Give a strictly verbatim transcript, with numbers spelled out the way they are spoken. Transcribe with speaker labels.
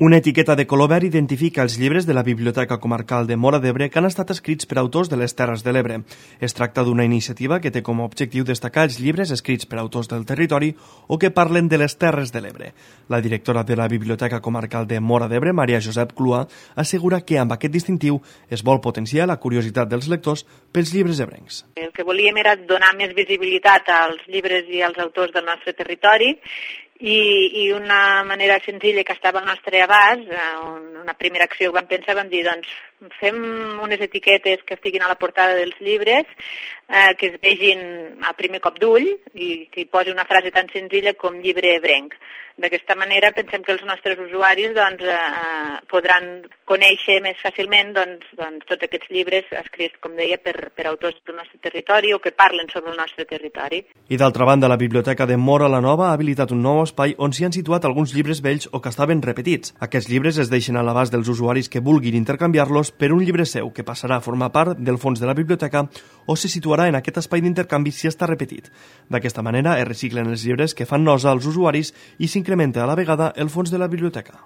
Speaker 1: Una etiqueta de color verd identifica els llibres de la Biblioteca Comarcal de Móra d'Ebre que han estat escrits per autors de les Terres de l'Ebre. Es tracta d'una iniciativa que té com a objectiu destacar els llibres escrits per autors del territori o que parlen de les Terres de l'Ebre. La directora de la Biblioteca Comarcal de Móra d'Ebre, Maria Josep Clua, assegura que amb aquest distintiu es vol potenciar la curiositat dels lectors pels llibres ebrencs.
Speaker 2: El que volíem era donar més visibilitat als llibres i als autors del nostre territori i, i una manera senzilla que estava al nostre abast, una primera acció que vam pensar, vam dir, doncs, fem unes etiquetes que estiguin a la portada dels llibres, eh, que es vegin a primer cop d'ull i que hi posi una frase tan senzilla com llibre ebrenc. D'aquesta manera pensem que els nostres usuaris doncs, eh, podran conèixer més fàcilment doncs, doncs, tots aquests llibres escrits, com deia, per, per autors del nostre territori o que parlen sobre el nostre territori.
Speaker 1: I d'altra banda, la Biblioteca de Móra la Nova ha habilitat un nou espai on s'hi han situat alguns llibres vells o que estaven repetits. Aquests llibres es deixen a l'abast dels usuaris que vulguin intercanviar-los per un llibre seu que passarà a formar part del fons de la biblioteca o se situarà en aquest espai d'intercanvi si està repetit. D'aquesta manera es reciclen els llibres que fan nosa als usuaris i s'incrementa a la vegada el fons de la biblioteca.